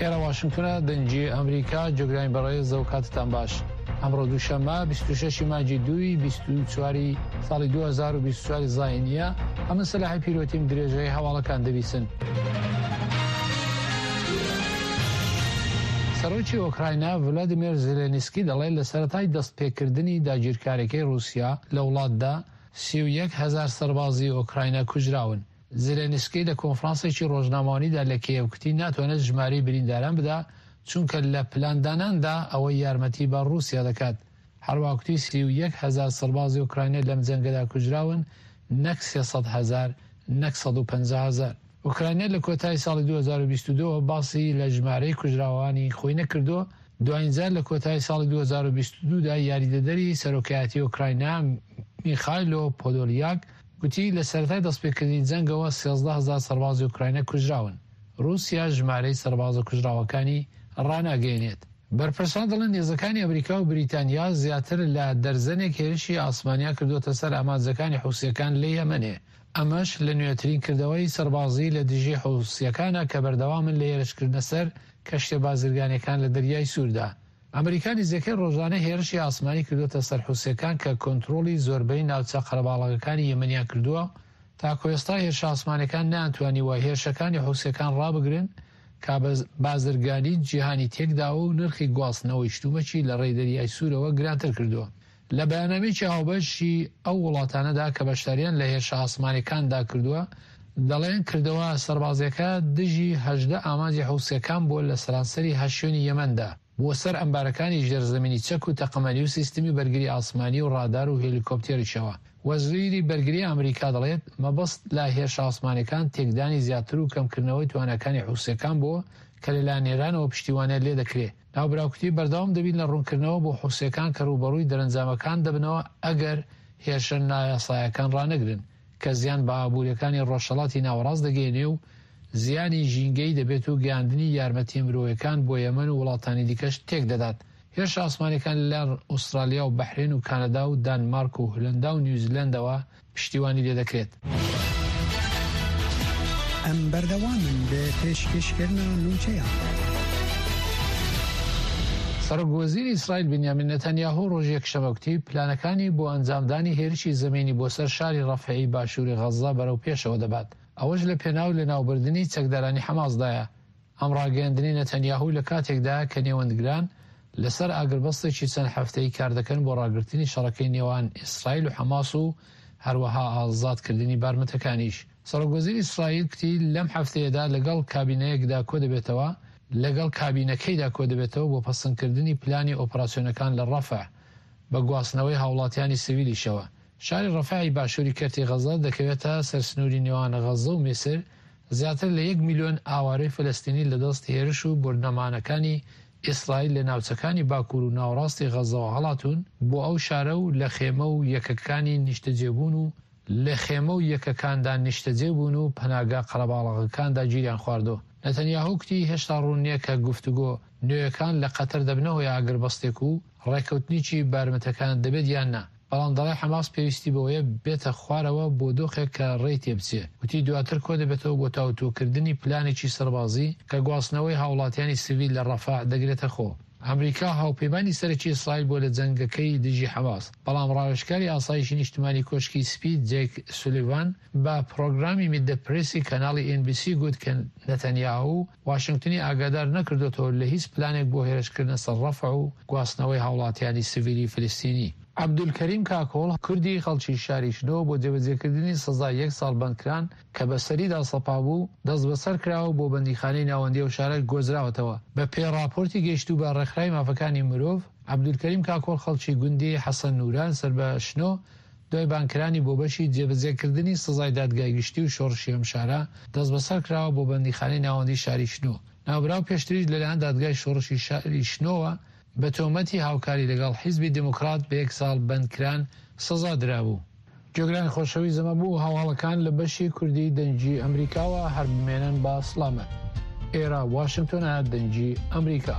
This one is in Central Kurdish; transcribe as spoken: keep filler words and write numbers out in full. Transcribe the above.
ئێرە واشنگتنە، دەنگی ئەمریکا. جۆگرانی بەڕێز، ئەو کاتتان باش. ئەمڕۆ دووشەممە بیست و شەش مانگی دووی بیست و چواری ساڵی دوو هەزار و بیست و چواری زایینیە. ئەمن سەلاحی پیرۆتیم، درێژەی هەواڵەکان دەبیسن. سەرۆکی ئۆکراینا ڤلادیمێر زێلێنسکی دەڵێت لە سەرەتای دەستپێکردنی داگیرکاریەکەی ڕووسیا لە وڵاتدا سی و یەک هەزار سەربازی ئۆکراینا کوژراون. زێلێنسکی لە کۆنفرانسێکی ڕۆژنامەوانیدا لە کیێڤ گوتی ناتوانێت ژمارەی برینداران بدا، چونکە لە پلانداناندا ئەوەی یارمەتی بە ڕووسیا دەکات. هەروەها گوتی سی و یەک هەزار سەربازی ئۆکراینا لەم جەنگەدا کوژراون، نەک سێ سەد هەزار، نەک سەد و پەنجا هەزار. ئۆکراینا لە کۆتایی ساڵی دوو هەزار و بیست و دوو باسی لە ژمارەی کوژراوانی خۆی نەکردووە. دوایین جار لە کۆتایی ساڵی دوو هەزار و بیست و دوو دا یاریدەدەری سەرۆکایەتی ئۆکراینا میخایلۆ پۆدۆلیاک گوتی لە سەرەتای دەستپێکردنی جەنگەوە سێزدە هەزار سەربازی ئۆکراینا کوژراون. رووسیا ژمارەی سەربازە کوژراوەکانی ڕاناگەیەنێت. بەرپرسان دەڵێن هێزەکانی ئەمریکا و بریتانیا زیاتر لە دەرزەنێک هێرشی ئاسمانیان کردووەتە سەر ئامانجەکانی حوسیەکان لە یەمەنێ. ئەمەش لە نوێترین کردەوەی سەربازی لە دژی حوسیەکانە کە بەردەوامن لە هێرشکردنە سەر کەشتیە بازرگانیەکان لە دەریای سووردا. ئەمریکا نزیکەی ڕۆژانە هێرشی ئاسمانی کردووەتە سەر حوسیەکان کە کۆنترۆڵی زۆربەی ناوچە قەرەباڵغەکانی یەمەنیان کردووە. تاکو ئێستا هێرشە ئاسمانەکان نەیانتوانیوە هێرشەکانی حوسیەکان ڕابگرن کە بازرگانی جیهانی تێکداوە و نرخی گواستنەوەی شتومەکی لە ڕێی دەریای سوورەوە گرانتر کردووە. لە بەیاننامەیەکی هاوبەشی ئەو وڵاتانەدا کە بەشداریان لە هێرشە ئاسمانەکاندا کردووە، دەڵێن کردەوە سەربازیەکە دژی هەژدە ئامانجی حوسیەکان بووە لە سەرانسەری هەشت شوێنی یەمەندا، بۆ سەر ئەمبارەکانی ژێرزەمینی چەک و تەقەمەنی و سیستمی بەرگری ئاسمانی و ڕادار و هێلیکۆپتێریشەوە. وەزیری بەرگری ئەمریکا دەڵێت مەبەست لە هێرشە ئاسمانەکان تێکدانی زیاتر و کەمکردنەوەی تواناکانی حوسیەکان بووە کە لەلایەن ئێرانەوە پشتیوانیان لێ دەکرێت. ناوبراو بەردەوام دەبین لە ڕوونکردنەوە بۆ حوسیەکان کە ڕووبەڕووی دەرەنجامەکان دەبنەوە ئەگەر هێرشە نایاسایەکان ڕانەگرن کە زیان بە ئابووریەکانی ڕۆژهەڵاتی ناوەڕاست دەگەیەنێ و زیانی ژینگەی دەبێت و گەیاندنی یارمەتی مرۆیەکان بۆ یەمەن و وڵاتانی دیکەش تێک دەدات. هێرشە ئاسمانەکان لەلایەن ئوسترالیا و بەحرێن و کانەدا و دانمارک و هولەندا و نیوزیلەندەوە پشتیوانی لێدەکرێت. ئەم بەردەوامن بە پێشکەشکردنا نوچەیان. سەرۆک وەزیری ئیسرائیل بنیامین نەتەنیاهۆ ڕۆژی یەکشەممە گوتی پلانەکانی بۆ ئەنجامدانی هێرشی زەمینی بۆ سەر شاری ڕەفحی باشووری غەززە بەرەو پێشەوە دەبات، ئەوەش لە پێناو لەناوبردنی چەکدارانی حەماسدایە. ئەم ڕاگەیاندنەی نەتەنیاهۆ لە کاتێکدا کە نێوەندگران لەسەر ئاگربەستێکی چەند هەفتەی کار دەکەن بۆ ڕاگرتنی شەڕەکەی نێوان ئیسرائیل و حەماس و هەروەها ئازادکردنی بارمتەکانیش. سەرۆک وەزیری ئیسرائیل گوتی لەم هەفتەیەدا لەگەڵ کابینەیەکدا کۆ دەبێتەوە لەگەڵ کابینەکەیدا کۆ دەبێتەوە بۆ پەسەندکردنی پلانی ئۆپەراسیۆنەکان لە ڕەفح بە گواستنەوەی هاوڵاتیانی سیڤیلیشەوە. شاری ڕەفحی باشووری کەرتی غەزە دەکەوێتە سەر سنووری نێوان غەزە و میسر. زیاتر لە یەک میلیۆن ئاوارەی فلستینی لەدەست هێرش و بۆردەمانەکانی ئیسرائیل لە ناوچەکانی باکوور و ناوەڕاستی غەزەوە هەڵاتون بۆ ئەو شارە و لە خێمە و یەکەکانی نیشتەجێبوون و لە خێمە و یەکەکاندا نیشتەجێبوون و پەناگا قەرەباڵغەکاندا گیریان خواردووە. نەتەنیاهۆ گوتی هێشتا ڕوون نییە کە گفتوگۆ نوێیەکان لە قەتەر دەبنەوە یا ئاگربەستێک و ڕێککەوتنێکی بارمتەکان دەبێت یان نا، بەڵام دەڵێ حەماس پێویستی بەوەیە بێتە خوارەوە بۆ دۆخێک کە ڕێی تێبچێ. وتی دواتر کۆ دەبێتەوە بۆ تاوتوێکردنی پلانێکی سەربازی کە گواستنەوەی هاوڵاتیانی سیڤیل لە ڕەفح دەگرێتە خۆ. ئەمریکا هاوپەیمانی سەرەکی ئیسرائیل بووە لە جەنگەکەی دژی حەماس، بەڵام ڕاوێژکاری ئاسایشی نیشتمانی کۆشکی سپی جێک سولیڤان بە پرۆگرامی Meet the Press ی کەناڵی ئێن بی سی گوت کە نەتەنیاهو واشنگتنی ئاگادار نەکردوێتەوە لە هیچ پلانێک بۆ هێرشکردنە سەر ڕەفح و گواستنەوەی هاوڵاتیانی سیڤیلی فلستینی. عەبدولکەریم کاکۆڵ کوردی خەڵکی شاری شنۆ بۆ جێبەجێکردنی سزای یەک ساڵ بەندکران کە بەسەریدا سەپا بوو دەستبەسەر کراوە بۆ بەندیخانەی ناوەندی ئەو شارە گۆزراوەتەوە. بە پێی ڕاپۆرتی گەیشتوو بە ڕێکخراوی مافەکانی مرۆڤ، عەبدولکەریم کاکۆڵ خەڵکی گوندی حەسەن نوران سەر بە شنۆ دوای بانکرانی بۆ بەشی جێبەجێکردنی سزای دادگای گشتی و شۆڕشی ئەم شارە دەستبەسەر کراوە بۆ بەندیخانەی ناوەندی شاری شنۆ. ناوبراو پێشتریش لەلایەن دادگای شۆڕشی شاری شنۆوە بە تۆمەتی هاوکاری لەگەڵ حیزبی دێموکرات بە یەک ساڵ بەندکران سزا درابوو. جۆگرانی خۆشەویست ئەمە بوو هەواڵەکان لە بەشی کوردی دەنگی ئەمریکاوە. هەر بمێنن بە سڵامەت. ئێرە واشنگتۆنە، دەنگی ئەمریکا.